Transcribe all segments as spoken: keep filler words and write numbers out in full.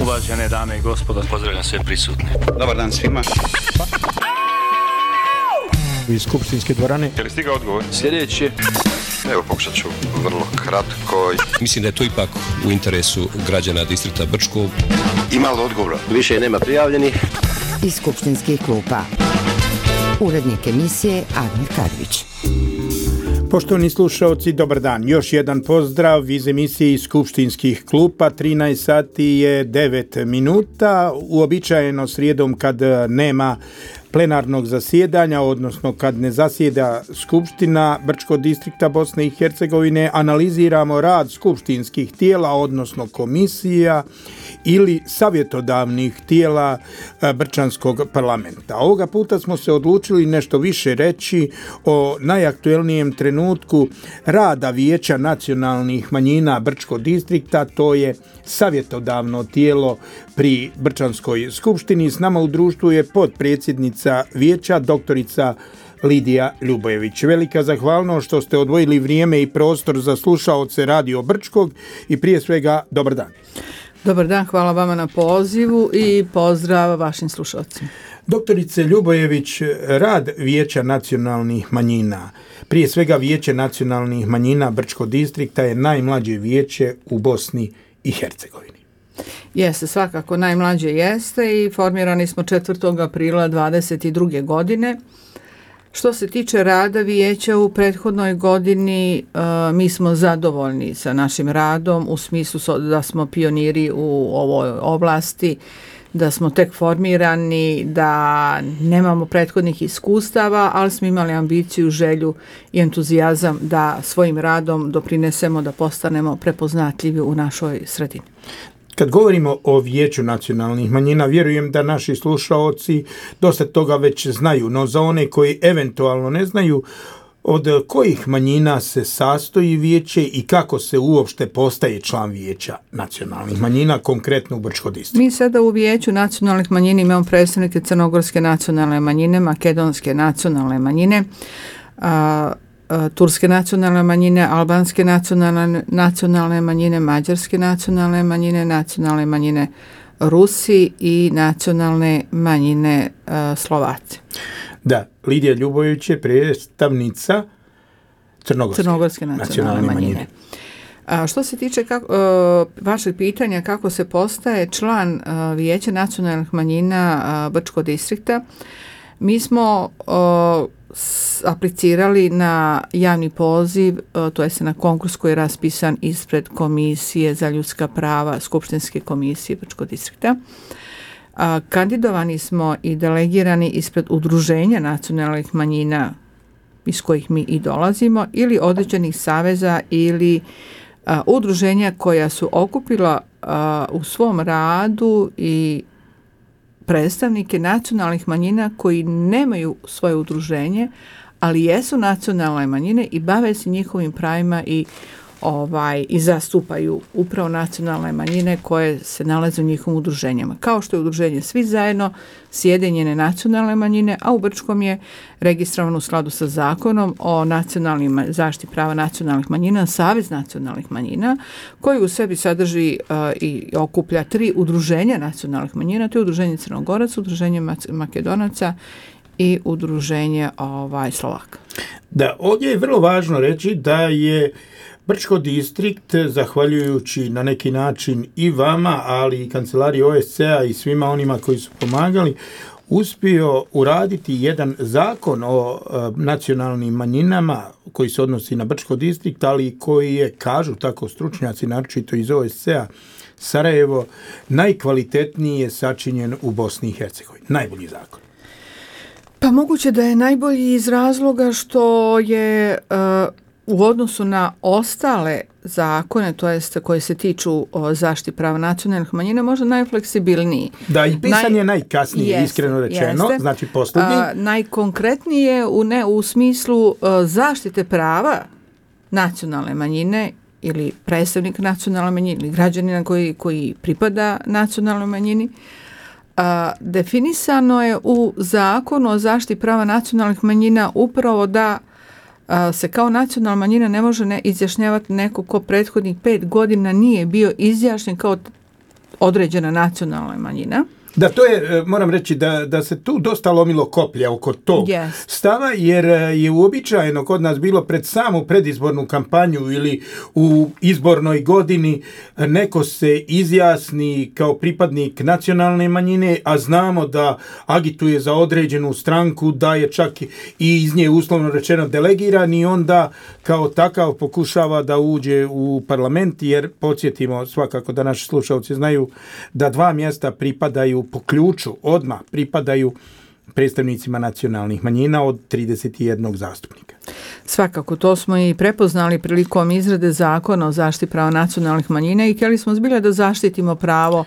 Uvažene dame i gospodo, pozdravljam sve prisutne. Dobar dan svima. Iz skupštinske dvorane. Je li stigao odgovor? Sljedeći. Evo, pokušat ću vrlo kratko. Mislim da je to ipak u interesu građana distrikta Brčko. Ima li odgovora? Više nema prijavljenih. Iz skupštinskih klupa. Urednik emisije Admir Kadrić. Poštovani slušalci, dobar dan. Još jedan pozdrav iz emisije iz skupštinskih klupa. trinaest sati je devet minuta. Uobičajeno srijedom kad nema plenarnog zasjedanja, odnosno kad ne zasjeda Skupština Brčkog distrikta Bosne i Hercegovine, analiziramo rad skupštinskih tijela, odnosno komisija ili savjetodavnih tijela Brčanskog parlamenta. Ovoga puta smo se odlučili nešto više reći o najaktuelnijem trenutku rada Vijeća nacionalnih manjina Brčkog distrikta, to je savjetodavno tijelo pri Brčanskoj skupštini. S nama u društvu je potpredsjednica vijeća, doktorica Lidija Ljubojević. Velika zahvalnost što ste odvojili vrijeme i prostor za slušaoce Radio Brčkog i prije svega dobar dan. Dobar dan, hvala vama na pozivu i pozdrav vašim slušalcima. Doktorice Ljubojević, rad Vijeća nacionalnih manjina, prije svega Vijeće nacionalnih manjina Brčkog distrikta je najmlađe vijeće u Bosni i Hercegovini. Jeste, svakako najmlađe jeste i formirani smo četvrtog aprila dvadeset druge godine. Što se tiče rada vijeća u prethodnoj godini, mi smo zadovoljni sa našim radom u smislu da smo pioniri u ovoj oblasti, da smo tek formirani, da nemamo prethodnih iskustava, ali smo imali ambiciju, želju i entuzijazam da svojim radom doprinesemo da postanemo prepoznatljivi u našoj sredini. Kad govorimo o Vijeću nacionalnih manjina, vjerujem da naši slušaoci dosta toga već znaju, no za one koji eventualno ne znaju, od kojih manjina se sastoji vijeće i kako se uopšte postaje član Vijeća nacionalnih manjina, konkretno u Brčkom distriktu? Mi sada u Vijeću nacionalnih manjina imamo predstavnike crnogorske nacionalne manjine, makedonske nacionalne manjine, a, a, turske nacionalne manjine, albanske nacionalne, nacionalne manjine, mađarske nacionalne manjine, nacionalne manjine Rusi i nacionalne manjine a, Slovaci. Da, Lidija Ljubojević je predstavnica Crnogorske, Crnogorske nacionalne, nacionalne manjine. manjine. A što se tiče kako, uh, vašeg pitanja kako se postaje član uh, Vijeća nacionalnih manjina uh, Brčkog distrikta, mi smo uh, s, aplicirali na javni poziv, uh, to jest na konkurs koji je raspisan ispred Komisije za ljudska prava Skupštinske komisije Brčkog distrikta. A, kandidovani smo i delegirani ispred udruženja nacionalnih manjina iz kojih mi i dolazimo ili određenih saveza ili a, udruženja koja su okupila a, u svom radu i predstavnike nacionalnih manjina koji nemaju svoje udruženje, ali jesu nacionalne manjine i bave se njihovim pravima i Ovaj, i zastupaju upravo nacionalne manjine koje se nalaze u njihovim udruženjama. Kao što je udruženje Svi zajedno sjedinjene nacionalne manjine, a u Brčkom je registrovano u skladu sa zakonom o nacionalnim zaštiti prava nacionalnih manjina, Savez nacionalnih manjina, koji u sebi sadrži uh, i okuplja tri udruženja nacionalnih manjina, to je udruženje Crnogoraca, udruženje Makedonaca i udruženje ovaj, Slovaka. Da, ovdje je vrlo važno reći da je Brčko distrikt, zahvaljujući na neki način i vama, ali i kancelariji O S C A i svima onima koji su pomagali, uspio uraditi jedan zakon o e, nacionalnim manjinama koji se odnosi na Brčko distrikt, ali koji je, kažu tako stručnjaci, naročito iz O S C A Sarajevo, najkvalitetnije sačinjen u Bosni i Hercegovini. Najbolji zakon. Pa moguće da je najbolji iz razloga što je Uh, u odnosu na ostale zakone, to jest koji se tiču o zaštiti prava nacionalnih manjina, možda najfleksibilniji. Da, i pisan je Naj... najkasnije, jest, iskreno rečeno, jeste. Znači posljednji. A, najkonkretnije u, ne, u smislu a, zaštite prava nacionalne manjine ili predstavnik nacionalne manjine ili građanina koji, koji pripada nacionalnoj manjini. A, definisano je u zakonu o zaštiti prava nacionalnih manjina upravo da se kao nacionalna manjina ne može ne izjašnjavati neko ko prethodnih pet godina nije bio izjašnjen kao određena nacionalna manjina. Da, to je, moram reći, da, da se tu dosta lomilo koplja oko tog yes. stava, jer je uobičajeno kod nas bilo pred samu predizbornu kampanju ili u izbornoj godini neko se izjasni kao pripadnik nacionalne manjine, a znamo da agituje za određenu stranku, da je čak i iz nje uslovno rečeno delegiran i onda kao takav pokušava da uđe u parlament, jer podsjetimo svakako da naši slušalci znaju da dva mjesta pripadaju po ključu, odmah pripadaju predstavnicima nacionalnih manjina od trideset jedan zastupnika. Svakako, to smo i prepoznali prilikom izrade zakona o zaštiti prava nacionalnih manjina i htjeli smo zbilja da zaštitimo pravo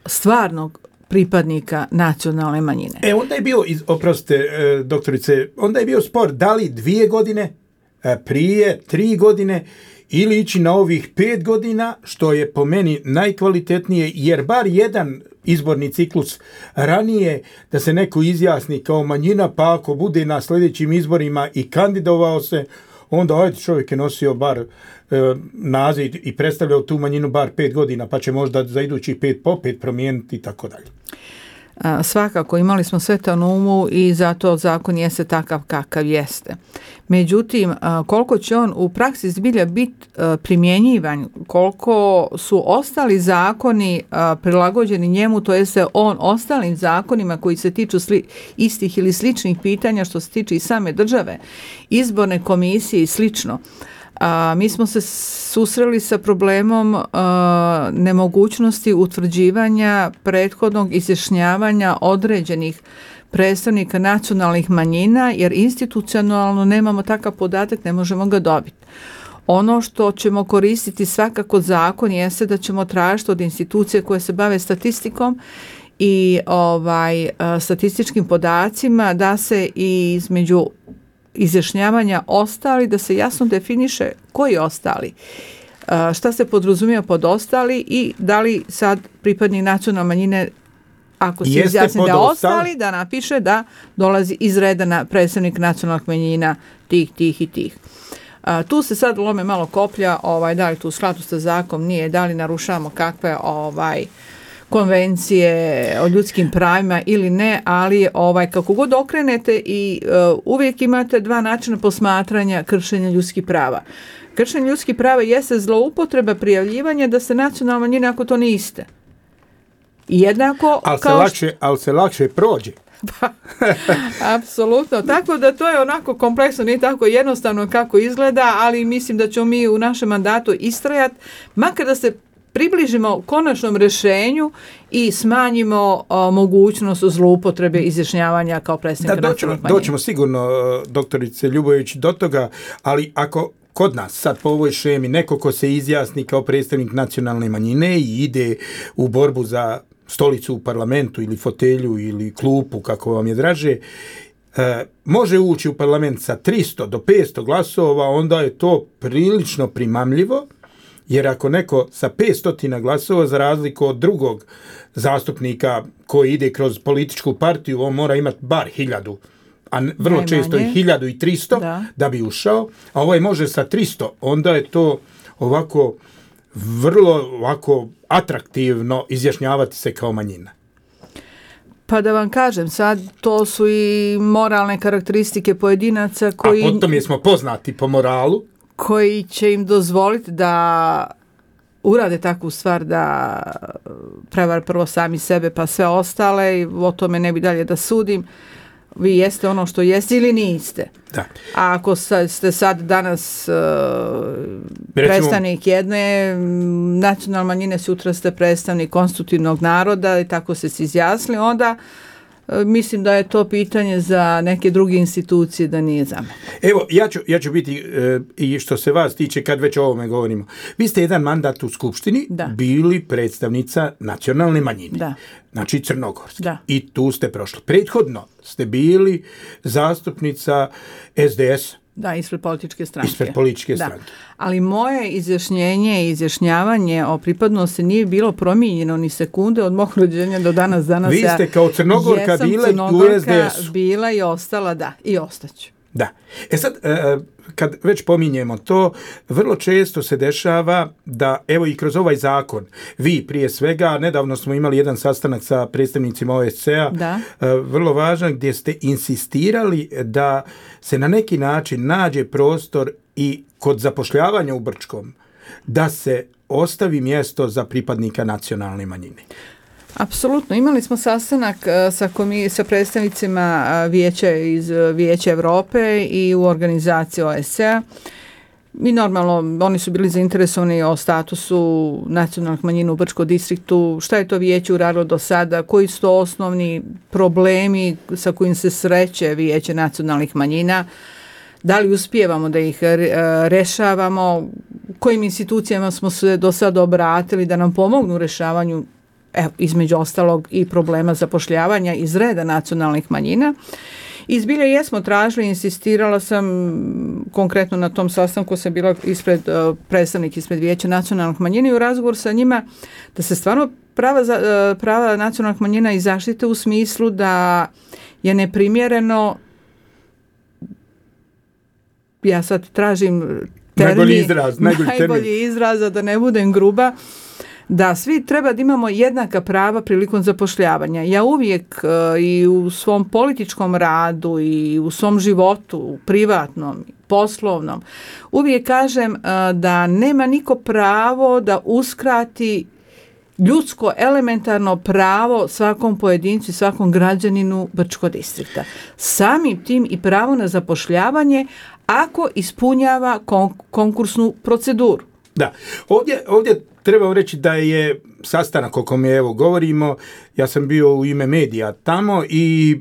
stvarnog pripadnika nacionalne manjine. E, onda je bio, oprostite, doktorice, onda je bio spor da li dvije godine, prije tri godine ili ići na ovih pet godina, što je po meni najkvalitetnije, jer bar jedan izborni ciklus ranije da se neko izjasni kao manjina, pa ako bude na sljedećim izborima i kandidovao se, onda ajde, čovjek je nosio bar e, naziv i predstavljao tu manjinu bar pet godina, pa će možda za idućih pet po pet promijeniti i tako dalje. Svakako, imali smo sve to na umu i zato zakon jeste takav kakav jeste. Međutim, koliko će on u praksi zbilja biti primjenjivan, koliko su ostali zakoni prilagođeni njemu, to jeste on ostalim zakonima koji se tiču sli, istih ili sličnih pitanja što se tiče i same države, izborne komisije i slično. A, mi smo se susreli sa problemom a, nemogućnosti utvrđivanja prethodnog izjašnjavanja određenih predstavnika nacionalnih manjina, jer institucionalno nemamo takav podatak, ne možemo ga dobiti. Ono što ćemo koristiti svakako zakon jeste da ćemo tražiti od institucije koje se bave statistikom i ovaj, a, statističkim podacima da se i između izjašnjavanja ostali, da se jasno definiše koji ostali, šta se podrazumijeva pod ostali i da li sad pripadnik nacionalne manjine, ako se izjasni da ostali, da napiše da dolazi iz reda na predstavnik nacionalnih manjina tih, tih i tih. Tu se sad lome malo koplja, ovaj, da li tu u skladu sa zakonom nije, da li narušavamo kakve ovaj, konvencije o ljudskim pravima ili ne, ali ovaj, kako god okrenete i uh, uvijek imate dva načina posmatranja kršenja ljudskih prava. Kršenje ljudskih prava jeste zloupotreba prijavljivanja da se nacionalna manjina ako to niste. I jednako ali kao se lakše, što... ali se lakše prođe. Pa, apsolutno. Tako da to je onako kompleksno, nije tako jednostavno kako izgleda, ali mislim da ćemo mi u našem mandatu istrajati, makar da se približimo konačnom rješenju i smanjimo o, mogućnost zloupotrebe izjašnjavanja kao predstavnika nacionalnih manjina. Doćemo sigurno, doktorice Ljubović, do toga, ali ako kod nas sad po ovoj šemi neko ko se izjasni kao predstavnik nacionalne manjine i ide u borbu za stolicu u parlamentu ili fotelju ili klupu, kako vam je draže, e, može ući u parlament sa tristo do petsto glasova, onda je to prilično primamljivo. Jer ako neko sa petsto glasova, za razliku od drugog zastupnika koji ide kroz političku partiju, on mora imati bar hiljadu, a vrlo najmanje često i hiljadu i tristo da. da bi ušao, a ovaj može sa tristo, onda je to ovako vrlo ovako atraktivno izjašnjavati se kao manjina. Pa da vam kažem, sad to su i moralne karakteristike pojedinaca koji... A potom jesmo poznati po moralu. Koji će im dozvoliti da urade takvu stvar, da prevar prvo sami sebe pa sve ostale i o tome ne bi dalje da sudim. Vi jeste ono što jeste ili niste. Da. A ako ste sad danas uh, predstavnik jedne nacionalne manjine, sutra ste predstavnik konstitutivnog naroda i tako se izjasnili, onda mislim da je to pitanje za neke druge institucije, da nije za mene. Evo, ja ću, ja ću biti, e, i što se vas tiče, kad već o ovome govorimo, vi ste jedan mandat u Skupštini da. bili predstavnica nacionalne manjine, da. znači Crnogorske, da. i tu ste prošli. Prethodno ste bili zastupnica es de es. Da, ispred političke stranke. Ispred političke stranke. Da. Ali moje izjašnjenje i izjašnjavanje o pripadnosti nije bilo promijenjeno ni sekunde od mog rođenja do danas. danas Vi ste kao Crnogorka bila u es de esu. Bila i ostala, da, i ostaću. Da. E sad, kad već pominjemo to, vrlo često se dešava da, evo i kroz ovaj zakon, vi prije svega, nedavno smo imali jedan sastanak sa predstavnicima O S C E-a, da. vrlo važan, gdje ste insistirali da se na neki način nađe prostor i kod zapošljavanja u Brčkom, da se ostavi mjesto za pripadnika nacionalne manjine. Apsolutno. Imali smo sastanak sa, komi- sa predstavnicima vijeća iz Vijeća Europe i u organizaciji O S C E-a. I normalno, oni su bili zainteresovani o statusu nacionalnih manjina u Brčkom distriktu, šta je to vijeće uradilo do sada, koji su to osnovni problemi sa kojim se sreće Vijeće nacionalnih manjina, da li uspijevamo da ih rešavamo, kojim institucijama smo se do sada obratili da nam pomognu u rešavanju, evo, između ostalog i problema zapošljavanja iz reda nacionalnih manjina. I zbilja jesmo tražili, insistirala sam konkretno na tom sastanku, sam bila ispred, predstavnik ispred Vijeća nacionalnih manjina i u razgovor sa njima da se stvarno prava, za, prava nacionalnih manjina i zaštite u smislu da je neprimjereno, ja sad tražim termin, najbolji izraz, najbolji, najbolji izraz, da ne budem gruba, da svi treba da imamo jednaka prava prilikom zapošljavanja. Ja uvijek uh, i u svom političkom radu i u svom životu, privatnom, poslovnom, uvijek kažem uh, da nema niko pravo da uskrati ljudsko elementarno pravo svakom pojedincu i svakom građaninu Brčkog distrikta. Samim tim i pravo na zapošljavanje ako ispunjava kon- konkursnu proceduru. Da, ovdje, ovdje treba reći da je sastanak o kome evo govorimo, ja sam bio u ime medija tamo i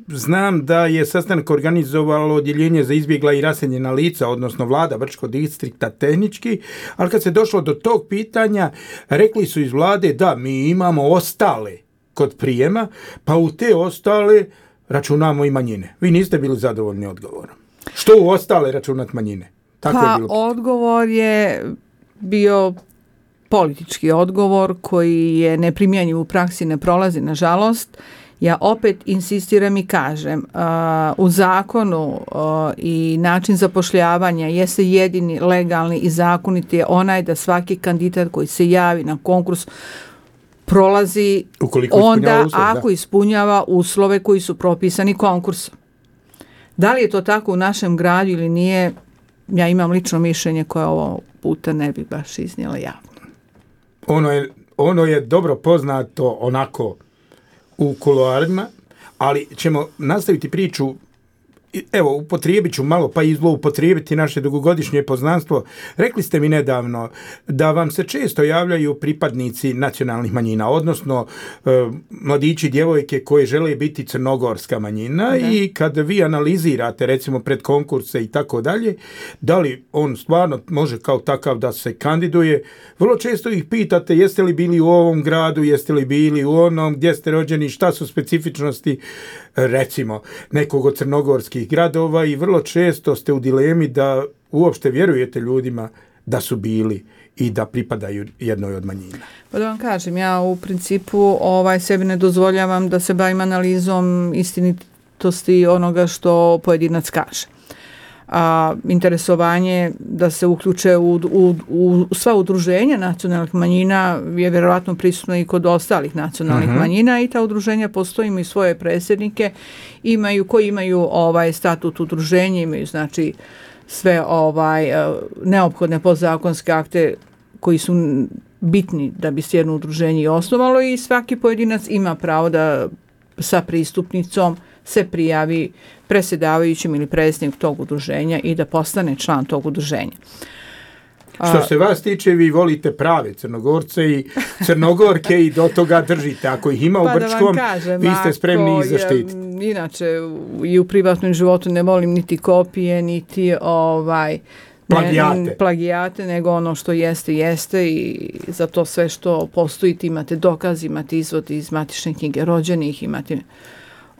znam da je sastanak organizovalo odjeljenje za izbjegla i raseljena lica, odnosno vlada Brčkog distrikta tehnički, ali kad se došlo do tog pitanja, rekli su iz vlade da mi imamo ostale kod prijema, pa u te ostale računamo i manjine. Vi niste bili zadovoljni odgovorom. Što u ostale računat manjine? Tako pa je bilo. Odgovor je bio politički odgovor koji je neprimjenjiv u praksi, ne prolazi nažalost. Ja opet insistiram i kažem, uh, u zakonu uh, i način zapošljavanja jeste jedini legalni i zakoniti je onaj da svaki kandidat koji se javi na konkurs prolazi onda uslov, ako da. ispunjava uslove koji su propisani konkursom. Da li je to tako u našem gradu ili nije, ja imam lično mišljenje koje ovo puta ne bi baš iznijela javno. Ono je, ono je dobro poznato onako u kuloarima, ali ćemo nastaviti priču, evo, upotrijebit ću malo pa i zloupotrijebiti naše dugogodišnje poznanstvo. Rekli ste mi nedavno da vam se često javljaju pripadnici nacionalnih manjina, odnosno e, mladići, djevojke koje žele biti crnogorska manjina, da. I kad vi analizirate recimo pred konkurse i tako dalje, da li on stvarno može kao takav da se kandiduje, vrlo često ih pitate jeste li bili u ovom gradu, jeste li bili u onom, gdje ste rođeni, šta su specifičnosti recimo nekog od crnogorskih gradova i vrlo često ste u dilemi da uopšte vjerujete ljudima da su bili i da pripadaju jednoj od manjina. Pa da vam kažem, ja u principu ovaj sebi ne dozvoljavam da se bavim analizom istinitosti onoga što pojedinac kaže. A interesovanje da se uključe u, u, u sva udruženja nacionalnih manjina je vjerojatno prisutno i kod ostalih nacionalnih uh-huh. manjina i ta udruženja postoje, imaju svoje predsjednike, imaju koji imaju ovaj statut udruženja, imaju znači sve ovaj neophodne podzakonske akte koji su bitni da bi se jedno udruženje osnovalo i svaki pojedinac ima pravo da sa pristupnicom se prijavi predsjedavajućim ili predsjednik tog udruženja i da postane član tog udruženja. Što se vas tiče, vi volite prave Crnogorce i Crnogorke i do toga držite. Ako ih ima pa u Brčkom, kažem, vi ste spremni ih zaštititi. Inače, i u privatnom životu ne volim niti kopije, niti ovaj... Plagijate. Ne, plagijate, nego ono što jeste, jeste i za to sve što postoji, imate dokaz, imate izvod iz matične knjige rođenih, imate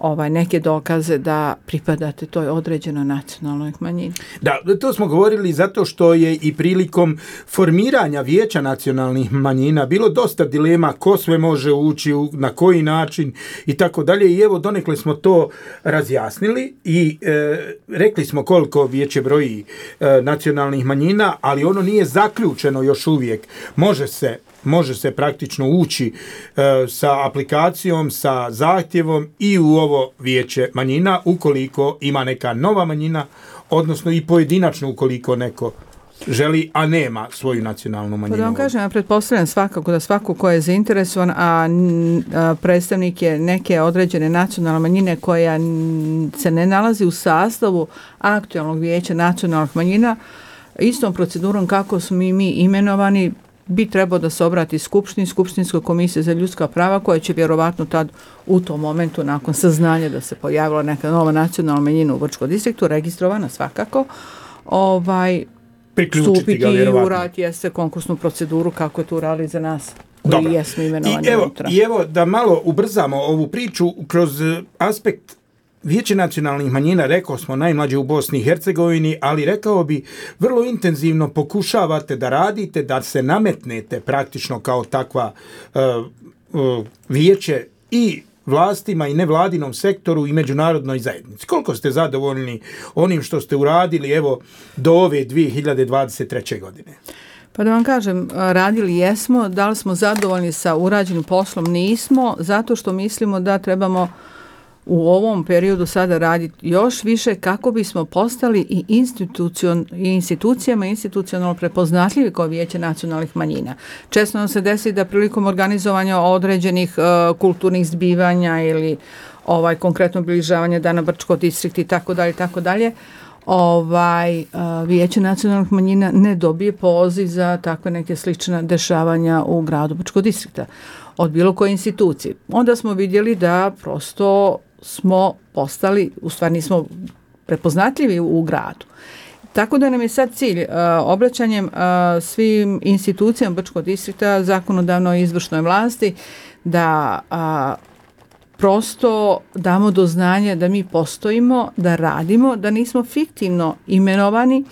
ovaj, neke dokaze da pripadate toj određenoj nacionalnoj manjini. Da, to smo govorili zato što je i prilikom formiranja Vijeća nacionalnih manjina bilo dosta dilema ko sve može ući, na koji način i tako dalje. I evo donekle smo to razjasnili i e, rekli smo koliko vijeće broji e, nacionalnih manjina, ali ono nije zaključeno još uvijek. Može se može se praktično ući e, sa aplikacijom, sa zahtjevom i u ovo vijeće manjina ukoliko ima neka nova manjina, odnosno i pojedinačno ukoliko neko želi, a nema svoju nacionalnu manjinu. Da vam kažem, ja pretpostavljam svakako da svako ko je zainteresovan, a, a predstavnik je neke određene nacionalne manjine koja se ne nalazi u sastavu aktualnog vijeća nacionalnih manjina, istom procedurom kako smo i mi imenovani, bi trebao da se obrati Skupštini, Skupštinskoj komisiji za ljudska prava, koja će vjerovatno tad u tom momentu, nakon saznanja da se pojavila neka nova nacionalna manjina u Brčkom distriktu, registrovana svakako, ovaj, stupiti i urati jeste konkursnu proceduru kako je to uradili za nas koji Dobro. jesmo imenovani. I evo, I evo da malo ubrzamo ovu priču kroz aspekt Vijeće nacionalnih manjina, rekao smo, najmlađe u Bosni i Hercegovini, ali rekao bi, vrlo intenzivno pokušavate da radite, da se nametnete praktično kao takva uh, uh, vijeće i vlastima i nevladinom sektoru i međunarodnoj zajednici. Koliko ste zadovoljni onim što ste uradili, evo, do ove dvije hiljade dvadeset treće. godine? Pa da vam kažem, radili jesmo, da li smo zadovoljni sa urađenim poslom? Nismo, zato što mislimo da trebamo u ovom periodu sada raditi još više kako bismo postali i, institucion, i institucijama institucionalno prepoznatljivi kao vijeće nacionalnih manjina. Često nam se desi da prilikom organizovanja određenih uh, kulturnih zbivanja ili ovaj konkretno obilježavanja Dana Brčkog distrikta i tako dalje, tako dalje, ovaj, uh, vijeće nacionalnih manjina ne dobije poziv za takve neke slične dešavanja u gradu Brčkog distrikta od bilo koje institucije. Onda smo vidjeli da prosto smo postali, u stvari nismo prepoznatljivi u, u gradu. Tako da nam je sad cilj uh, obraćanjem uh, svim institucijama Brčkog distrikta, zakonodavnoj i izvršnoj vlasti, da uh, prosto damo do znanja da mi postojimo, da radimo, da nismo fiktivno imenovani,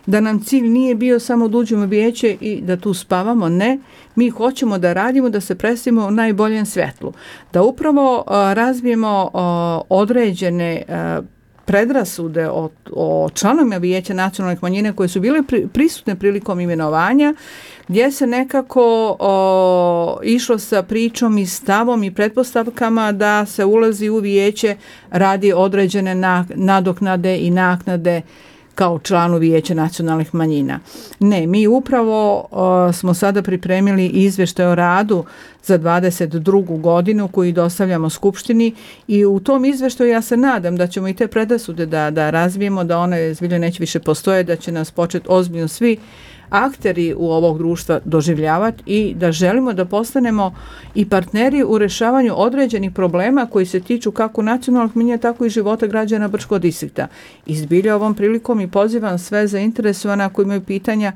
da nam cilj nije bio samo da uđemo u vijeće i da tu spavamo, ne. Mi hoćemo da radimo, da se predstavimo u najboljem svjetlu. Da upravo uh, razvijemo uh, određene uh, predrasude o, o članovima vijeća nacionalnih manjina koje su bile pri, prisutne prilikom imenovanja, gdje se nekako o, išlo sa pričom i stavom i pretpostavkama da se ulazi u vijeće radi određene na, nadoknade i naknade kao članu vijeća nacionalnih manjina. Ne, mi upravo o, smo sada pripremili izvještaj o radu za dvadeset drugu godinu koji dostavljamo Skupštini i u tom izvještaju ja se nadam da ćemo i te predrasude da, da razvijemo, da one zbilja neće više postoje, da će nas početi ozbiljno svi akteri u ovog društva doživljavati i da želimo da postanemo i partneri u rješavanju određenih problema koji se tiču kako nacionalnih manjina, tako i života građana Brčkog distrikta. Izbilja ovom prilikom i pozivam sve zainteresovane koji imaju pitanja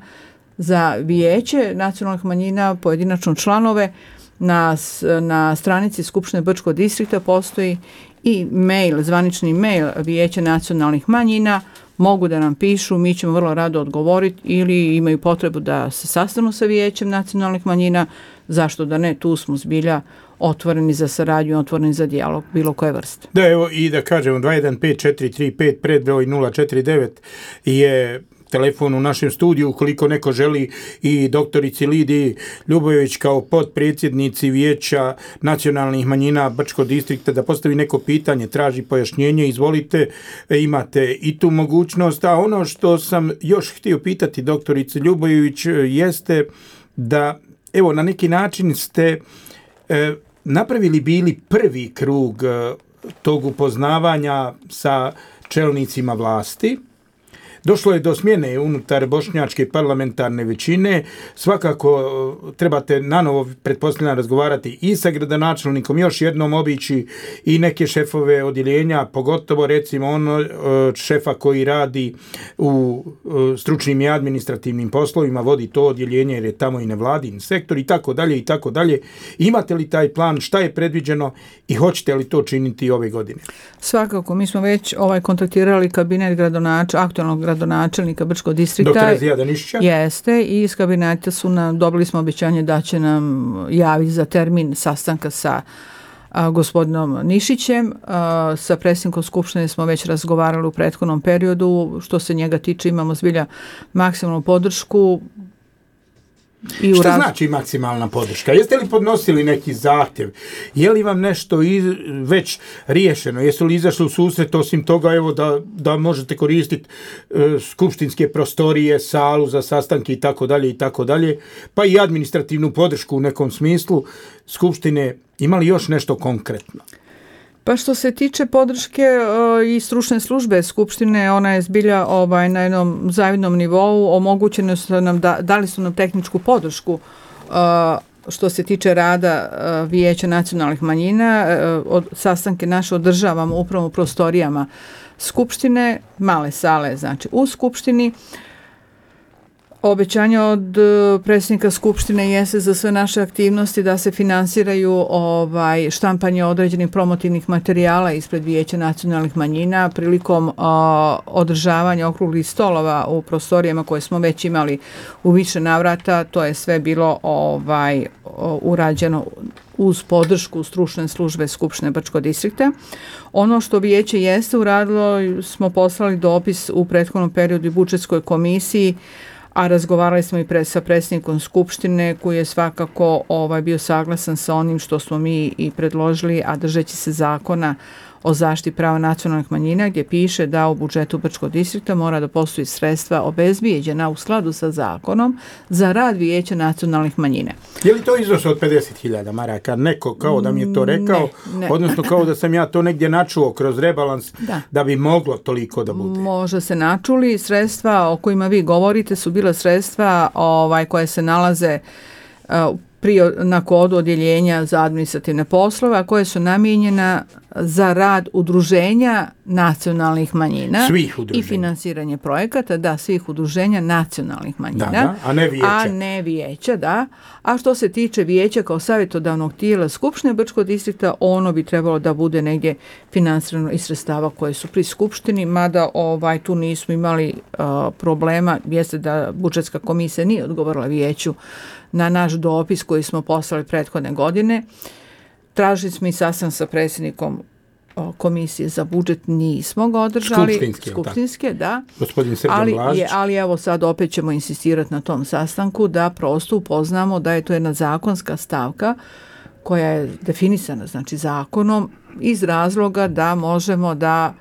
za vijeće nacionalnih manjina, pojedinačno članove, na, na stranici Skupštine Brčkog distrikta postoji i mail, zvanični mail vijeća nacionalnih manjina, mogu da nam pišu, mi ćemo vrlo rado odgovoriti ili imaju potrebu da se sastanu sa vijećem nacionalnih manjina, zašto da ne, tu smo zbilja otvoreni za saradnju, otvoreni za dijalog, bilo koje vrste. Da, evo i da kažemo dva jedan pet četiri tri pet predbroj nula četiri devet je telefon u našem studiju, ukoliko neko želi i doktorici Lidiji Ljubojević kao potpredsjednici Vijeća nacionalnih manjina Brčkog distrikta da postavi neko pitanje, traži pojašnjenje, izvolite, imate i tu mogućnost. A ono što sam još htio pitati doktorici Ljubojević jeste da, evo, na neki način ste e, napravili bili prvi krug e, tog upoznavanja sa čelnicima vlasti. došlo je do smjene unutar bošnjačke parlamentarne većine. Svakako trebate nanovo, pretpostavljam, razgovarati i sa gradonačelnikom, još jednom obići i neke šefove odjeljenja, pogotovo recimo ono šefa koji radi u stručnim i administrativnim poslovima, vodi to odjeljenje jer je tamo i nevladin sektor i tako dalje i tako dalje. Imate li taj plan, šta je predviđeno i hoćete li to činiti ove godine? Svakako, mi smo već ovaj kontaktirali kabinet gradonač, aktualnog gradonačelnika Brčkog distrikta. Doktora Zijada Nišića? Jeste, i iz kabineta su nam, dobili smo obećanje da će nam javiti za termin sastanka sa a, gospodinom Nišićem. A, sa predsjednikom Skupštine smo već razgovarali u prethodnom periodu. Što se njega tiče, imamo zbilja maksimalnu podršku. I Šta raz... znači maksimalna podrška? Jeste li podnosili neki zahtjev? Je li vam nešto iz, već riješeno? Jesu li izašli u susret osim toga evo da, da možete koristiti e, skupštinske prostorije, salu za sastanke i tako dalje i tako dalje, pa i administrativnu podršku u nekom smislu Skupštine? Ima li još nešto konkretno? Pa što se tiče podrške uh, i stručne službe Skupštine, ona je zbilja ovaj, na jednom zavidnom nivou. Omogućeno su nam, da, dali su nam tehničku podršku uh, što se tiče rada uh, Vijeća nacionalnih manjina. Uh, od, sastanke naše održavamo upravo u prostorijama Skupštine, male sale znači u Skupštini. Obećanje od predsjednika Skupštine jeste za sve naše aktivnosti da se finansiraju ovaj, štampanje određenih promotivnih materijala ispred Vijeća nacionalnih manjina prilikom uh, održavanja okruglih stolova u prostorijama koje smo već imali u više navrata. To je sve bilo ovaj, urađeno uz podršku stručne službe Skupštine Brčkog distrikta. Ono što vijeće jeste uradilo, smo poslali dopis u prethodnom periodu i budžetskoj komisiji, a razgovarali smo i pre, sa predsjednikom Skupštine koji je svakako ovaj, bio saglasan sa onim što smo mi i predložili, a držeći se zakona o zaštiti prava nacionalnih manjina gdje piše da u budžetu Brčkog distrikta mora da postoji sredstva obezbijeđena u skladu sa zakonom za rad Vijeća nacionalnih manjina. Je li to iznos od pedeset hiljada maraka? Neko kao da mi je to rekao, ne, ne. odnosno kao da sam ja to negdje načuo kroz rebalans da. da bi moglo toliko da bude? Možda se načuli. Sredstva o kojima vi govorite su bila sredstva ovaj, koje se nalaze uh, pri, na kodu odjeljenja za administrativne poslove, a koje su namijenjena za rad udruženja nacionalnih manjina svih udruženja. I finansiranje projekata, da, svih udruženja nacionalnih manjina. Da, da, a ne vijeća. A ne vijeća, da. A što se tiče vijeća kao savjetodavnog tijela Skupštine Brčkog distrikta, ono bi trebalo da bude negdje finansirano iz sredstava koje su pri Skupštini, mada ovaj, tu nismo imali uh, problema, jeste da budžetska komisija nije odgovorila vijeću na naš dopis koji smo poslali prethodne godine. Tražili smo i sastanak sa predsjednikom komisije za budžet, nismo ga održali. Skupštinske, Skupštinske da. Gospodin Srđan ali, Blažić. je, ali evo sad opet ćemo insistirati na tom sastanku da prosto upoznamo da je to jedna zakonska stavka koja je definisana znači zakonom iz razloga da možemo da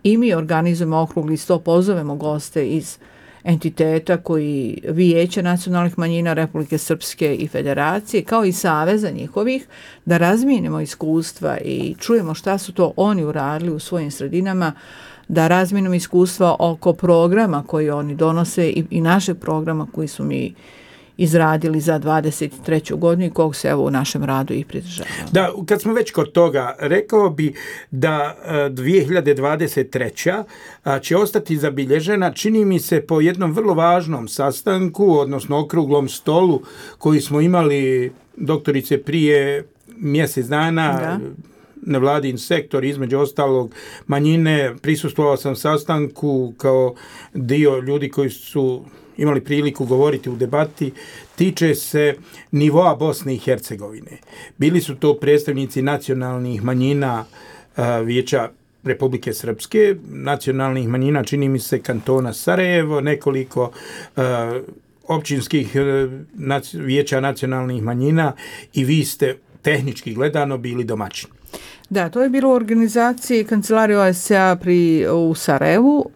i mi organizujemo okrugli sto, pozovemo goste iz entiteta koji Vijeće nacionalnih manjina Republike Srpske i Federacije, kao i saveza njihovih, da razmijenimo iskustva i čujemo šta su to oni uradili u svojim sredinama, da razmijenimo iskustva oko programa koji oni donose i, i našeg programa koji su mi izradili za dvadeset treću godinu i kog se evo u našem radu i pridržavamo. Da, kad smo već kod toga, rekao bi da dvije hiljade dvadeset treća će ostati zabilježena, čini mi se, po jednom vrlo važnom sastanku, odnosno okruglom stolu koji smo imali, doktorice, prije mjesec dana, da. Nevladin sektor, između ostalog manjine. Prisustvovao sam sastanku kao dio ljudi koji su imali priliku govoriti u debati, tiče se nivoa Bosne i Hercegovine. Bili su to predstavnici nacionalnih manjina uh, Vijeća Republike Srpske, nacionalnih manjina, čini mi se, kantona Sarajevo, nekoliko uh, općinskih uh, nac- vijeća nacionalnih manjina i vi ste tehnički gledano bili domaćini. Da, to je bilo u organizaciji Kancelarije O E S A pri, u Sarajevu.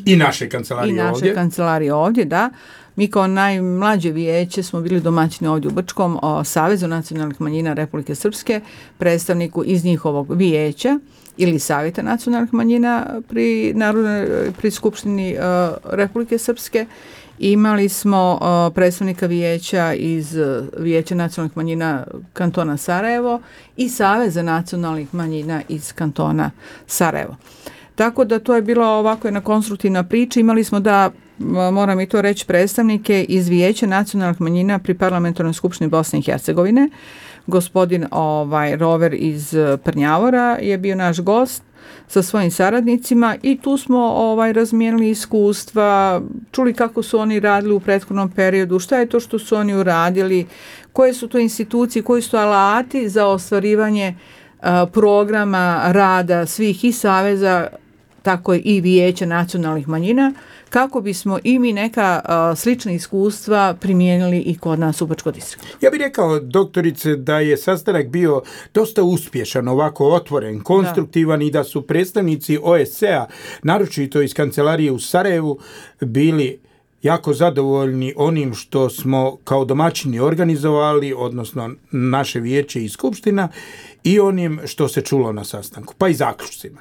I naše kancelarije ovdje. I naše ovdje. kancelarije ovdje, da. Mi kao najmlađe vijeće smo bili domaćini ovdje u Brčkom o Savezu nacionalnih manjina Republike Srpske, predstavniku iz njihovog vijeća ili Savjeta nacionalnih manjina pri, narodnoj, pri Skupštini uh, Republike Srpske. Imali smo uh, predstavnika vijeća iz uh, Vijeća nacionalnih manjina kantona Sarajevo i Saveza nacionalnih manjina iz kantona Sarajevo. Tako da to je bilo ovako jedna konstruktivna priča. Imali smo da, moram i to reći, predstavnike iz Vijeća nacionalnih manjina pri Parlamentarnoj skupštini Bosne i Hercegovine. Gospodin ovaj, Rover iz Prnjavora je bio naš gost sa svojim saradnicima i tu smo ovaj, razmijenili iskustva, čuli kako su oni radili u prethodnom periodu, šta je to što su oni uradili, koje su to institucije, koji su to alati za ostvarivanje uh, programa rada svih i saveza, tako i Vijeća nacionalnih manjina, kako bismo i mi neka uh, slična iskustva primijenili i kod nas u Brčkom distriktu. Ja bih rekao, doktorice, da je sastanak bio dosta uspješan, ovako otvoren, konstruktivan da. I da su predstavnici O E S A, naročito iz kancelarije u Sarajevu, bili jako zadovoljni onim što smo kao domaćini organizovali, odnosno naše vijeće i skupština, i onim što se čulo na sastanku, pa i zaključcima.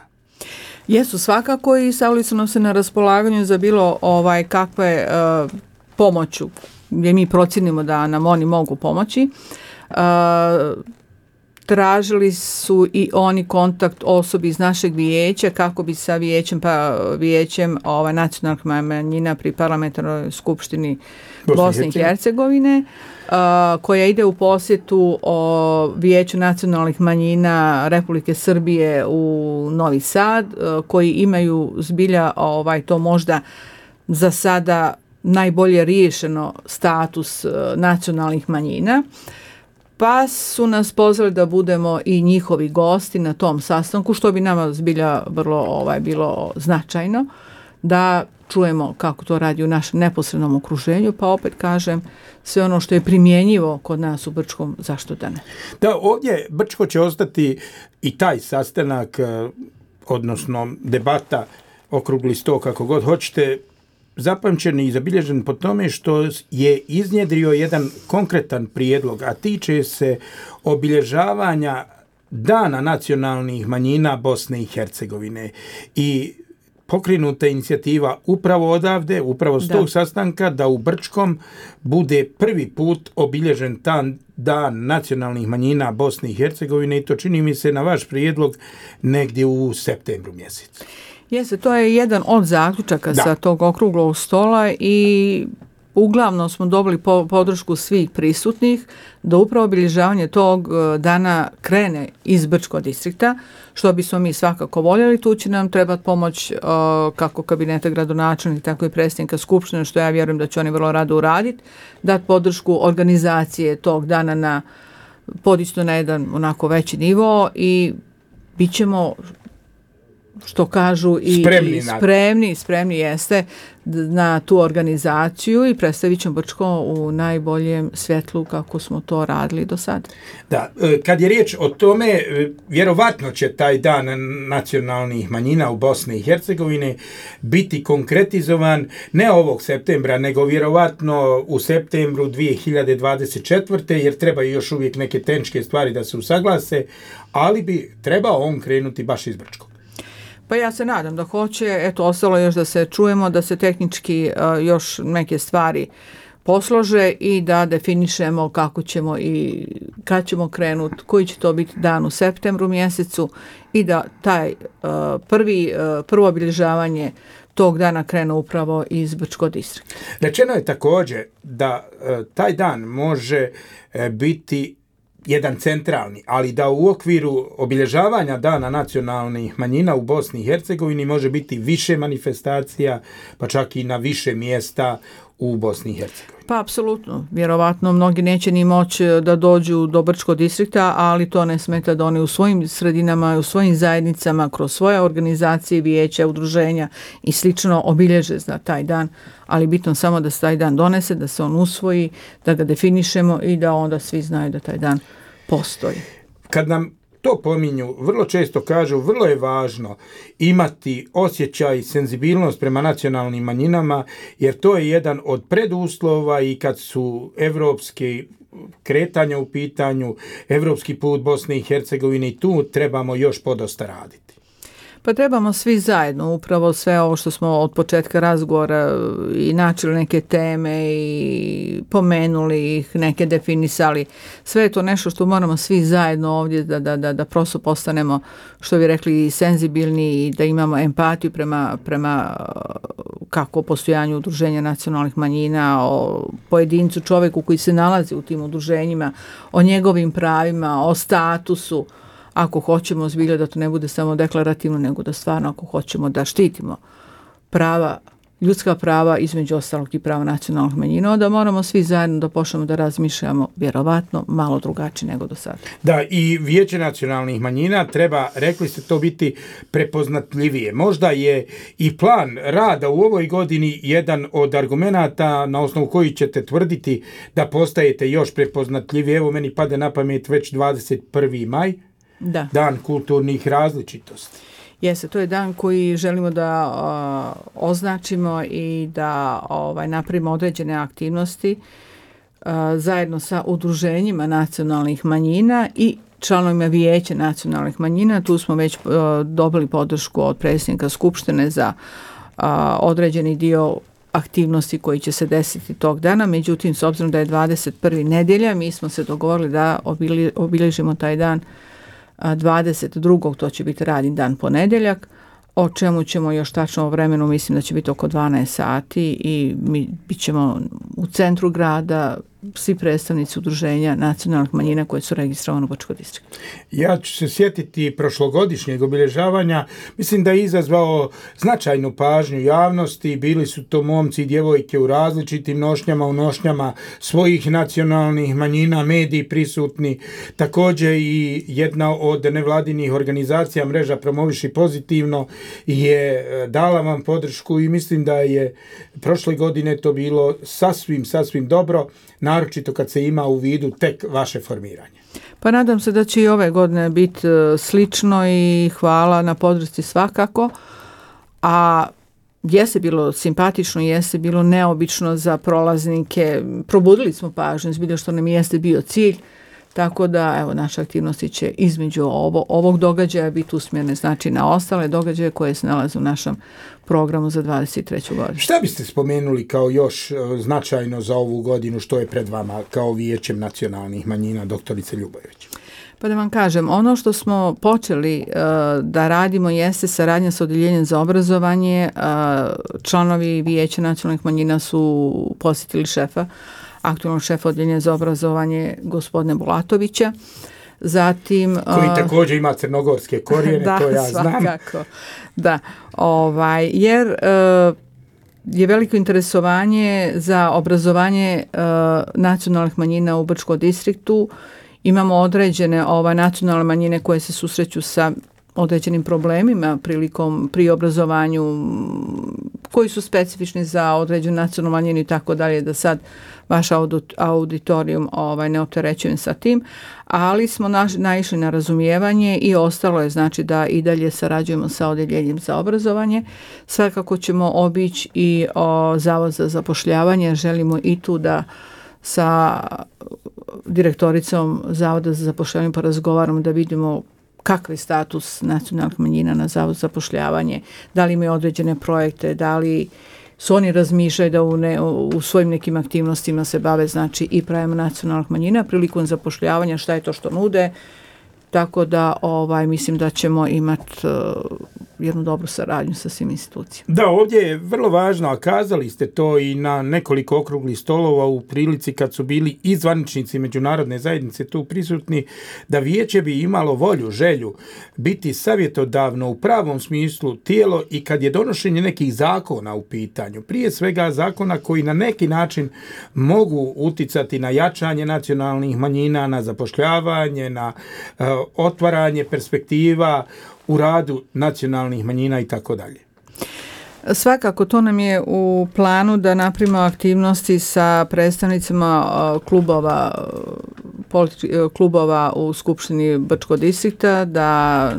Jesu svakako i stavili su nam se na raspolaganju za bilo ovaj kakve uh, pomoću gdje mi procjenimo da nam oni mogu pomoći. Uh, tražili su i oni kontakt osobi iz našeg vijeća kako bi sa vijećem pa vijećem ovaj nacionalnih manjina pri Parlamentarnoj skupštini Bosne i Hercegovine, uh, koja ide u posjetu o Vijeću nacionalnih manjina Republike Srbije u Novi Sad, uh, koji imaju zbilja ovaj to možda za sada najbolje riješeno status uh, nacionalnih manjina. Pa su nas pozvali da budemo i njihovi gosti na tom sastanku, što bi nama zbilja vrlo ovaj, bilo značajno, da čujemo kako to radi u našem neposrednom okruženju, pa opet kažem, sve ono što je primjenjivo kod nas u Brčkom, zašto da ne? Da, ovdje Brčko će ostati i taj sastanak, odnosno debata, okrugli sto, kako god hoćete, zapamćen i zabilježen po tome što je iznjedrio jedan konkretan prijedlog, a tiče se obilježavanja Dana nacionalnih manjina Bosne i Hercegovine. I pokrenuta inicijativa upravo odavde, upravo s tog sastanka, da u Brčkom bude prvi put obilježen tan Dan nacionalnih manjina Bosne i Hercegovine, i to čini mi se na vaš prijedlog negdje u septembru mjesecu. Jeste, to je jedan od zaključaka da. Sa tog okruglog stola i uglavnom smo dobili po, podršku svih prisutnih da upravo obilježavanje tog dana krene iz Brčkog distrikta, što bismo mi svakako voljeli. Tu će nam trebati pomoć uh, kako kabineta gradonačelnika, tako i predsjednika skupštine, što ja vjerujem da će oni vrlo rado uraditi, dati podršku organizacije tog dana na podići na jedan onako veći nivo i bit ćemo, što kažu, i spremni, i spremni, spremni jeste na tu organizaciju i predstavit ćemo Brčko u najboljem svjetlu kako smo to radili do sad. Da, kad je riječ o tome, vjerovatno će taj Dan nacionalnih manjina u Bosni i Hercegovini biti konkretizovan ne ovog septembra, nego vjerovatno u septembru dvije hiljade dvadeset četvrte. jer treba još uvijek neke tehničke stvari da se usaglase, ali bi trebao on krenuti baš iz Brčkog. Pa ja se nadam da hoće, eto, ostalo još da se čujemo, da se tehnički uh, još neke stvari poslože i da definišemo kako ćemo i kad ćemo krenuti, koji će to biti dan u septembru mjesecu i da taj uh, prvi, uh, prvo obilježavanje tog dana krene upravo iz Brčkog distrikta. Rečeno je također da uh, taj dan može uh, biti jedan centralni, ali da u okviru obilježavanja Dana nacionalnih manjina u Bosni i Hercegovini može biti više manifestacija, pa čak i na više mjesta u Bosni i Hercegovini. Pa apsolutno, vjerovatno mnogi neće ni moći da dođu do Brčkog distrikta, ali to ne smeta da oni u svojim sredinama, u svojim zajednicama, kroz svoje organizacije, vijeća, udruženja i slično obilježe za taj dan, ali bitno samo da se taj dan donese, da se on usvoji, da ga definišemo i da onda svi znaju da taj dan postoji. Kad nam to pominju, vrlo često kažu, vrlo je važno imati osjećaj i senzibilnost prema nacionalnim manjinama, jer to je jedan od preduslova i kad su evropske kretanja u pitanju, evropski put Bosne i Hercegovine, i tu trebamo još podosta raditi. Pa trebamo svi zajedno, upravo sve ovo što smo od početka razgovora i načeli neke teme i pomenuli ih, neke definisali. Sve je to nešto što moramo svi zajedno ovdje da, da, da, da prosto postanemo, što bi rekli, senzibilni i da imamo empatiju prema, prema kako postojanju udruženja nacionalnih manjina, o pojedincu, čovjeku koji se nalazi u tim udruženjima, o njegovim pravima, o statusu. Ako hoćemo zbilja da to ne bude samo deklarativno, nego da stvarno ako hoćemo da štitimo prava, ljudska prava, između ostalog i prava nacionalnih manjina, onda moramo svi zajedno da počnemo da razmišljamo vjerovatno malo drugačije nego do sada. Da, i Vijeće nacionalnih manjina treba, rekli ste, to biti prepoznatljivije. Možda je i plan rada u ovoj godini jedan od argumenata na osnovu koji ćete tvrditi da postajete još prepoznatljivije. Evo, meni pade na pamet već dvadeset prvi maj. Da. Dan kulturnih različitosti. Jeste, to je dan koji želimo da uh, označimo i da ovaj, napravimo određene aktivnosti uh, zajedno sa udruženjima nacionalnih manjina i članovima Vijeća nacionalnih manjina. Tu smo već uh, dobili podršku od predsjednika Skupštine za uh, određeni dio aktivnosti koji će se desiti tog dana. Međutim, s obzirom da je dvadeset prva nedjelja, mi smo se dogovorili da obili, obilježimo taj dan dvadeset drugog to će biti radni dan ponedjeljak, o čemu ćemo još tačno o vremenu, mislim da će biti oko dvanaest sati i mi bit ćemo u centru grada, svi predstavnici udruženja nacionalnih manjina koje su registrovane u Brčkom distriktu. Ja ću se sjetiti prošlogodišnjeg obilježavanja, mislim da je izazvao značajnu pažnju javnosti, bili su to momci i djevojke u različitim nošnjama, u nošnjama svojih nacionalnih manjina, mediji prisutni, također i jedna od nevladinih organizacija Mreža Promoviši pozitivno je dala vam podršku i mislim da je prošle godine to bilo sasvim, sasvim dobro, naročito kad se ima u vidu tek vaše formiranje. Pa nadam se da će i ove godine biti slično i hvala na podršci svakako, a jeste bilo simpatično, jeste bilo neobično za prolaznike, probudili smo pažnju, zbilja što nam jeste bio cilj, tako da evo naše aktivnosti će između ovo, ovog događaja biti usmjerene znači na ostale događaje koje se nalaze u našem programu za dvadeset treću godinu. Šta biste spomenuli kao još značajno za ovu godinu što je pred vama kao Vijećem nacionalnih manjina, doktorice Ljubojević? Pa da vam kažem, ono što smo počeli uh, da radimo jeste saradnja sa Odjeljenjem za obrazovanje. Uh, članovi Vijeća nacionalnih manjina su posjetili šefa, aktualnog šefa Odjeljenja za obrazovanje gospodine Bulatovića. Zatim, koji uh, također ima crnogorske korijene, da, to ja znam. Svakako. Da, ovaj, jer uh, je veliko interesovanje za obrazovanje uh, nacionalnih manjina u Brčkom distriktu. Imamo određene ovaj, nacionalne manjine koje se susreću sa određenim problemima prilikom pri obrazovanju koji su specifični za određenu nacionalnu manjinu i tako dalje, da sad vaš auditorijum ovaj, ne opterećujem sa tim, ali smo naš, naišli na razumijevanje i ostalo je znači da i dalje sarađujemo sa Odjeljenjem za obrazovanje. Svakako ćemo obići i o, Zavod za zapošljavanje, želimo i tu da sa direktoricom Zavoda za zapošljavanje porazgovaramo da vidimo kakav je status nacionalnih manjina na Zavodu za zapošljavanje, da li imaju određene projekte, da li su oni razmišljaju da u, ne, u svojim nekim aktivnostima se bave znači i pravima nacionalnih manjina prilikom zapošljavanja, šta je to što nude, tako da ovaj mislim da ćemo imati uh, jednu dobru saradnju sa svim institucijama. Da, ovdje je vrlo važno, a kazali ste to i na nekoliko okruglih stolova u prilici kad su bili i zvaničnici međunarodne zajednice tu prisutni, da vijeće bi imalo volju, želju biti savjetodavno u pravom smislu tijelo i kad je donošenje nekih zakona u pitanju, prije svega zakona koji na neki način mogu uticati na jačanje nacionalnih manjina, na zapošljavanje, na uh, otvaranje perspektiva u radu nacionalnih manjina i tako dalje. Svakako, to nam je u planu da napravimo aktivnosti sa predstavnicima klubova, klubova u Skupštini Brčkog distrikta, da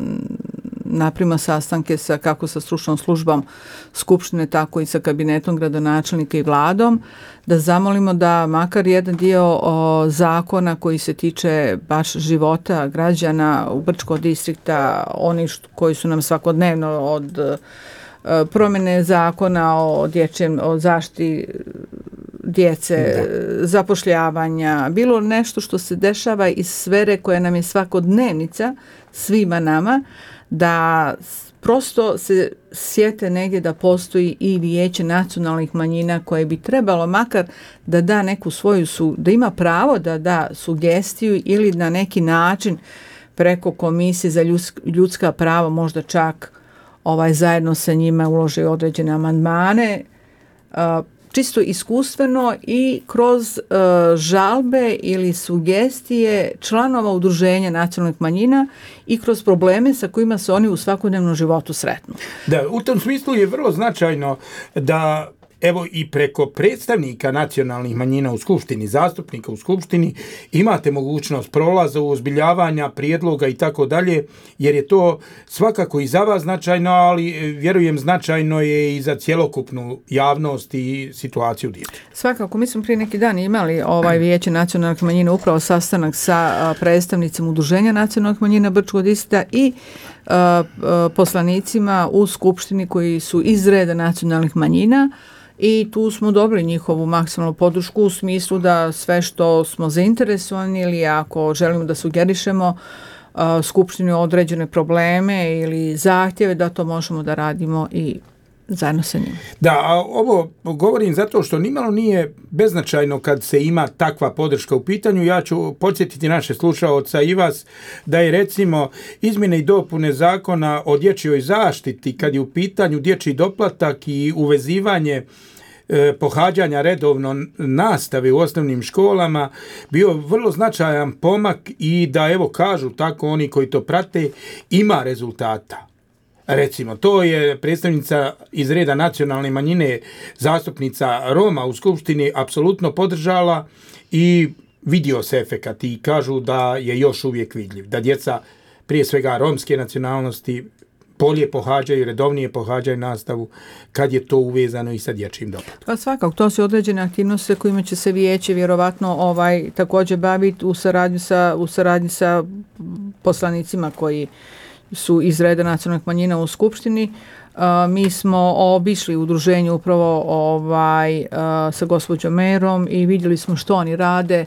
napravimo sastanke sa, kako sa stručnom službom Skupštine, tako i sa kabinetom gradonačelnika i vladom, da zamolimo da makar jedan dio o, zakona koji se tiče baš života građana u Brčkog distrikta, oni što, koji su nam svakodnevno od promjene zakona o dječjem, o zaštiti djece, da. zapošljavanja, bilo nešto što se dešava iz sfere koja nam je svakodnevnica svima nama, da prosto se sjete negdje da postoji i vijeće nacionalnih manjina koje bi trebalo makar da da neku svoju, su, da ima pravo da da sugestiju ili na neki način preko Komisije za ljudska prava možda čak ovaj zajedno sa njima ulože određene amandmane, čisto iskustveno i kroz uh, žalbe ili sugestije članova udruženja nacionalnih manjina i kroz probleme sa kojima se oni u svakodnevnom životu sretnu. Da, u tom smislu je vrlo značajno da evo i preko predstavnika nacionalnih manjina u Skupštini, zastupnika u Skupštini, imate mogućnost prolaza, uozbiljavanja, prijedloga i tako dalje, jer je to svakako i za vas značajno, ali vjerujem značajno je i za cjelokupnu javnost i situaciju djece. Svakako, mi smo prije neki dan imali ovaj vijeće nacionalnih manjina upravo sastanak sa predstavnicima udruženja nacionalnih manjina Brčkog distrikta i uh, poslanicima u Skupštini koji su iz reda nacionalnih manjina. I tu smo dobili njihovu maksimalnu podršku u smislu da sve što smo zainteresovani ili ako želimo da sugerišemo uh, Skupštini određene probleme ili zahtjeve, da to možemo da radimo i zajedno sa njima. Da, a ovo govorim zato što nimalo nije beznačajno kad se ima takva podrška u pitanju. Ja ću podsjetiti naše slušaoca i vas da je recimo izmjene i dopune zakona o dječjoj zaštiti kad je u pitanju dječji doplatak i uvezivanje e, pohađanja redovno nastave u osnovnim školama bio vrlo značajan pomak i da evo kažu tako oni koji to prate ima rezultata. Recimo, to je predstavnica iz reda nacionalne manjine, zastupnica Roma u Skupštini, apsolutno podržala i vidio se efekat i kažu da je još uvijek vidljiv. Da djeca, prije svega romske nacionalnosti, bolje pohađaju, redovnije pohađaju nastavu kad je to uvezano i sa dječjim doplatkom. Pa svakako, to su određene aktivnosti kojima će se vijeće vjerovatno ovaj, također baviti u saradnji sa, u saradnji sa poslanicima koji su iz reda nacionalnih manjina u Skupštini. Uh, mi smo obišli udruženje upravo ovaj, uh, sa gospođom merom i vidjeli smo što oni rade.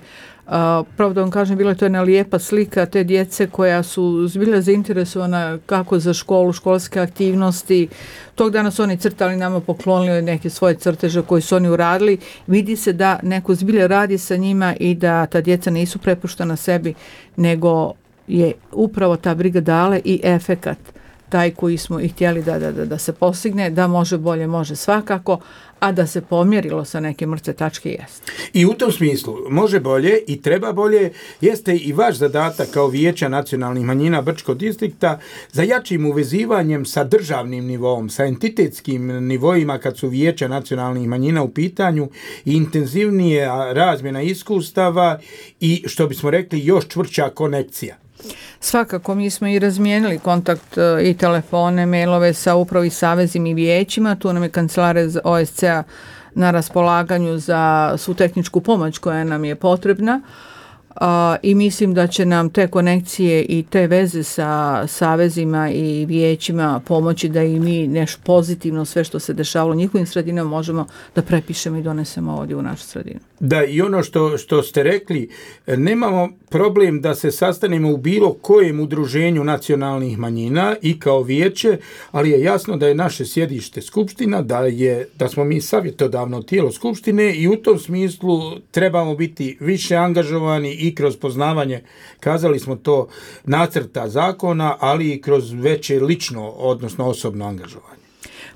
Uh, pravo da vam kažem, bila je to jedna lijepa slika te djece koja su bila zainteresovana kako za školu, školske aktivnosti. Tog dana su oni crtali, nama poklonili neke svoje crteže koje su oni uradili. Vidi se da neko zbilja radi sa njima i da ta djeca nisu prepuštena sebi, nego je upravo ta briga dala i efekat taj koji smo i htjeli da, da, da se postigne, da može bolje, može svakako, a da se pomjerilo sa neke mrtve tačke jeste. I u tom smislu može bolje i treba bolje, jeste i vaš zadatak kao vijeća nacionalnih manjina Brčkog distrikta za jačim uvezivanjem sa državnim nivom, sa entitetskim nivoima kad su vijeća nacionalnih manjina u pitanju i intenzivnije razmjena iskustava i što bismo rekli još čvršća konekcija. Svakako, mi smo i razmijenili kontakt i telefone, mailove sa upravo i savezima i vijećima. Tu nam je kancelarija O S C-a na raspolaganju za svu tehničku pomoć koja nam je potrebna. Uh, i mislim da će nam te konekcije i te veze sa savezima i vijećima pomoći da i mi nešto pozitivno sve što se dešavalo u njihovim sredinama možemo da prepišemo i donesemo ovdje u našu sredinu. Da, i ono što, što ste rekli, nemamo problem da se sastanemo u bilo kojem udruženju nacionalnih manjina i kao vijeće, ali je jasno da je naše sjedište Skupština, da, je, da smo mi savjetodavno tijelo Skupštine i u tom smislu trebamo biti više angažovani i kroz poznavanje, kazali smo to, nacrta zakona, ali i kroz veće lično, odnosno osobno angažovanje.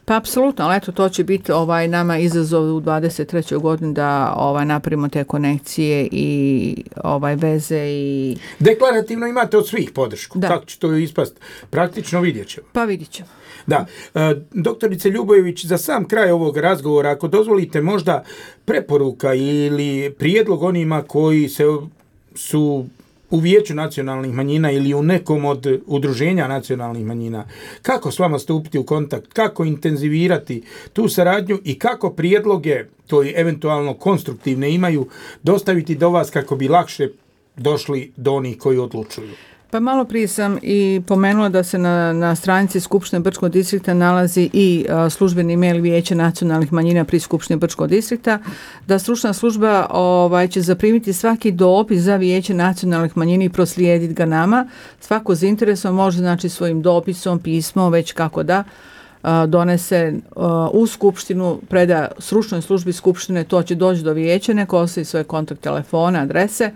Pa apsolutno, ali eto to će biti ovaj nama izazov u dvadeset trećoj godini da ovaj napravimo te konekcije i ovaj veze i deklarativno imate od svih podršku. Da. Kako će to ispast? Praktično vidjet ćemo. Pa vidjet ćemo. Da. E, doktorice Ljubojević, za sam kraj ovog razgovora, ako dozvolite možda preporuka ili prijedlog onima koji se su u Vijeću nacionalnih manjina ili u nekom od udruženja nacionalnih manjina, kako s vama stupiti u kontakt, kako intenzivirati tu saradnju i kako prijedloge koji eventualno konstruktivne imaju dostaviti do vas kako bi lakše došli do onih koji odlučuju. Pa malo prije sam i pomenula da se na, na stranici Skupštine Brčkog distrikta nalazi i a, službeni mail Vijeća nacionalnih manjina pri Skupštini Brčkog distrikta, da stručna služba ovaj, će zaprimiti svaki dopis za Vijeće nacionalnih manjina i proslijediti ga nama. Svako zainteresovan može znači svojim dopisom, pismom, već kako da a, donese a, u Skupštinu, preda stručnoj službi Skupštine, to će doći do Vijeća, neko ostavi svoje kontakt telefone, adrese,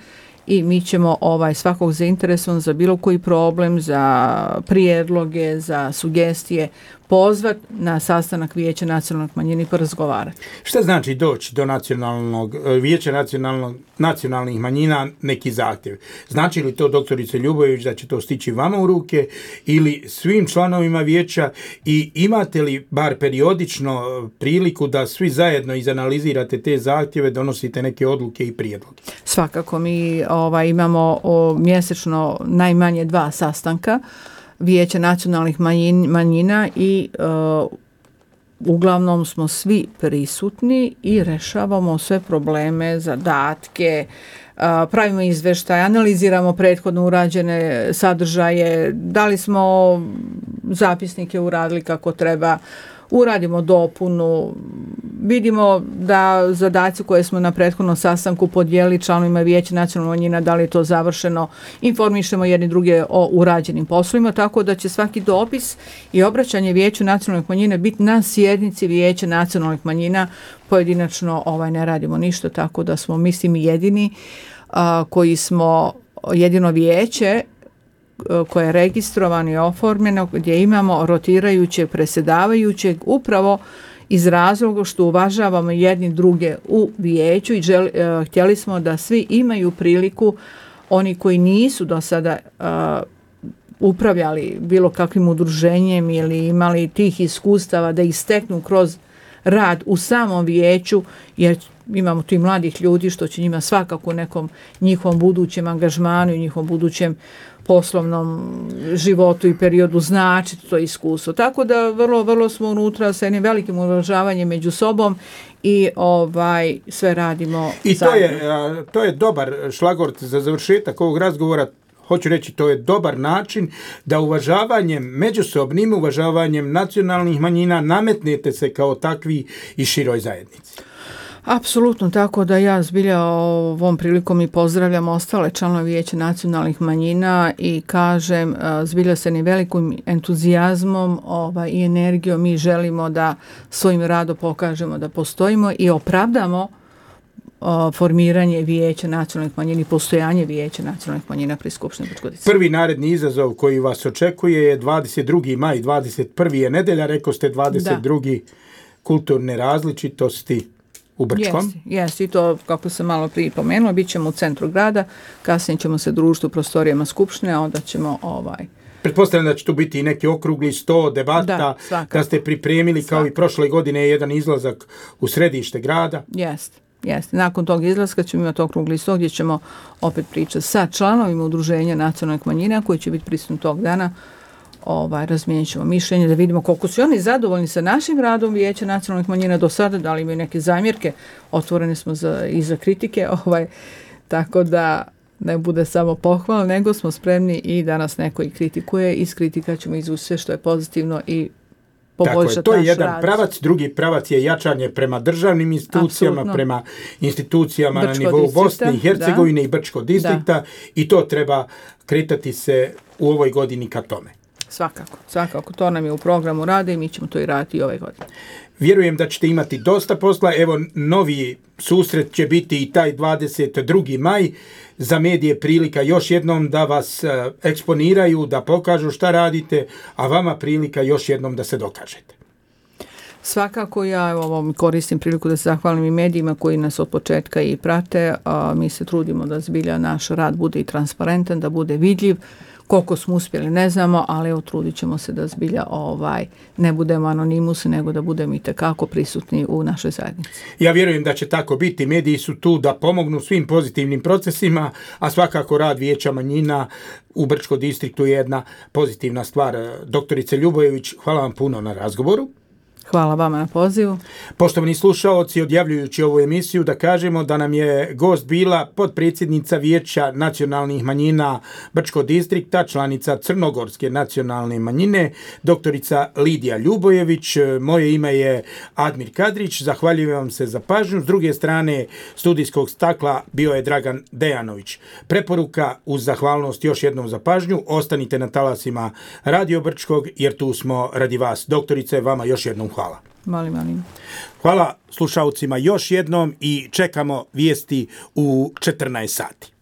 i mi ćemo ovaj svakog zainteresovan za bilo koji problem, za prijedloge, za sugestije pozvat na sastanak Vijeća nacionalnih manjina i porazgovarati. Šta znači doći do nacionalnog Vijeća nacionalnog, nacionalnih manjina neki zahtjev? Znači li to, doktorice Ljubojević, da će to stići vama u ruke ili svim članovima vijeća i imate li bar periodično priliku da svi zajedno izanalizirate te zahtjeve, donosite neke odluke i prijedloge? Svakako, mi ovaj, imamo o, mjesečno najmanje dva sastanka Vijeća nacionalnih manjin, manjina i uh, uglavnom smo svi prisutni i rešavamo sve probleme, zadatke, uh, pravimo izveštaje, analiziramo prethodno urađene sadržaje, da li smo zapisnike uradili kako treba, uradimo dopunu, vidimo da zadaci koje smo na prethodnom sastanku podijelili članovima Vijeća nacionalnih manjina, da li je to završeno, informišemo jedni druge o urađenim poslovima, tako da će svaki dopis i obraćanje Vijeću nacionalnih manjina biti na sjednici Vijeća nacionalnih manjina, pojedinačno ovaj, ne radimo ništa, tako da smo, mislim, jedini a, koji smo jedino vijeće koje je registrovano i oformljeno, gdje imamo rotirajućeg predsjedavajućeg upravo iz razloga što uvažavamo jedni druge u vijeću i želi, uh, htjeli smo da svi imaju priliku, oni koji nisu do sada uh, upravljali bilo kakvim udruženjem ili imali tih iskustava, da ih steknu kroz rad u samom vijeću, jer imamo tu i mladih ljudi što će njima svakako u nekom njihovom budućem angažmanu i njihovom budućem poslovnom životu i periodu značiti to iskustvo. Tako da vrlo, vrlo smo unutra sa jednim velikim uvažavanjem među sobom i ovaj sve radimo I zajedno. to je, to je dobar šlagort za završetak ovog razgovora. Hoću reći, to je dobar način da uvažavanjem, međusobnim uvažavanjem nacionalnih manjina nametnete se kao takvi i široj zajednici. Apsolutno, tako da ja zbilja ovom prilikom i pozdravljam ostale članove Vijeća nacionalnih manjina i kažem, zbilja se ni velikim entuzijazmom ovaj, i energijom mi želimo da svojim radom pokažemo da postojimo i opravdamo o, formiranje Vijeća nacionalnih manjina i postojanje Vijeća nacionalnih manjina pri Skupštini Brčkog distrikta. Prvi naredni izazov koji vas očekuje je dvadeset drugi maj, dvadeset prvi je nedelja, rekao ste dvadeset drugi Da. Kulturne različitosti u Brčkom. Jesi, jesi, i to, kako sam malo prije pomenula, bit ćemo u centru grada, kasnije ćemo se družiti u prostorijama Skupštine, a onda ćemo ovaj... Pretpostavljam da će tu biti i neki okrugli sto, debata, da, da ste pripremili kao svakako. I prošle godine jedan izlazak u središte grada. Jeste, jeste. Nakon tog izlaska ćemo imati okrugli sto gdje ćemo opet pričati sa članovima udruženja nacionalnih manjina koji će biti prisutni tog dana. Ovaj, razmijenit ćemo mišljenje da vidimo koliko su oni zadovoljni sa našim radom Vijeća nacionalnih manjina do sada, da li imaju neke zamjerke, otvoreni smo za, i za kritike, ovaj, tako da ne bude samo pohvala, nego smo spremni i da nas neko i kritikuje, iz kritika ćemo izvući sve što je pozitivno i poboljšati naš rad. Tako je, to je jedan rad. Pravac, drugi pravac je jačanje prema državnim institucijama, Absolutno. Prema institucijama Brčko na nivou Bosne i Hercegovine da. I Brčkog distrikta da. I to treba kretati se u ovoj godini ka tome. Svakako, svakako. To nam je u programu rade i mi ćemo to i raditi i ove godine. Vjerujem da ćete imati dosta posla. Evo, novi susret će biti i taj dvadeset drugi maj. Za medije prilika još jednom da vas eksponiraju, da pokažu šta radite, a vama prilika još jednom da se dokažete. Svakako ja evo, koristim priliku da se zahvalim i medijima koji nas od početka i prate. A, mi se trudimo da zbilja naš rad bude i transparentan, da bude vidljiv. Koliko smo uspjeli ne znamo, ali evo trudit ćemo se da zbilja ovaj, ne budemo anonimusi, nego da budemo i tekako prisutni u našoj zajednici. Ja vjerujem da će tako biti. Mediji su tu da pomognu svim pozitivnim procesima, a svakako rad Vijeća manjina u Brčkom distriktu je jedna pozitivna stvar. Doktorice Ljubojević, hvala vam puno na razgovoru. Hvala vama na pozivu. Poštovani slušaoci, odjavljujući ovu emisiju da kažemo da nam je gost bila potpredsjednica Vijeća nacionalnih manjina Brčkog distrikta, članica Crnogorske nacionalne manjine, doktorica Lidija Ljubojević. Moje ime je Admir Kadrić, zahvaljujem vam se za pažnju. S druge strane studijskog stakla bio je Dragan Dejanović. Preporuka uz zahvalnost još jednom za pažnju, ostanite na talasima Radio Brčkog jer tu smo radi vas. Doktorice, vama još jednom hvala. Molim, molim. Hvala slušalcima još jednom i čekamo vijesti u četrnaest sati.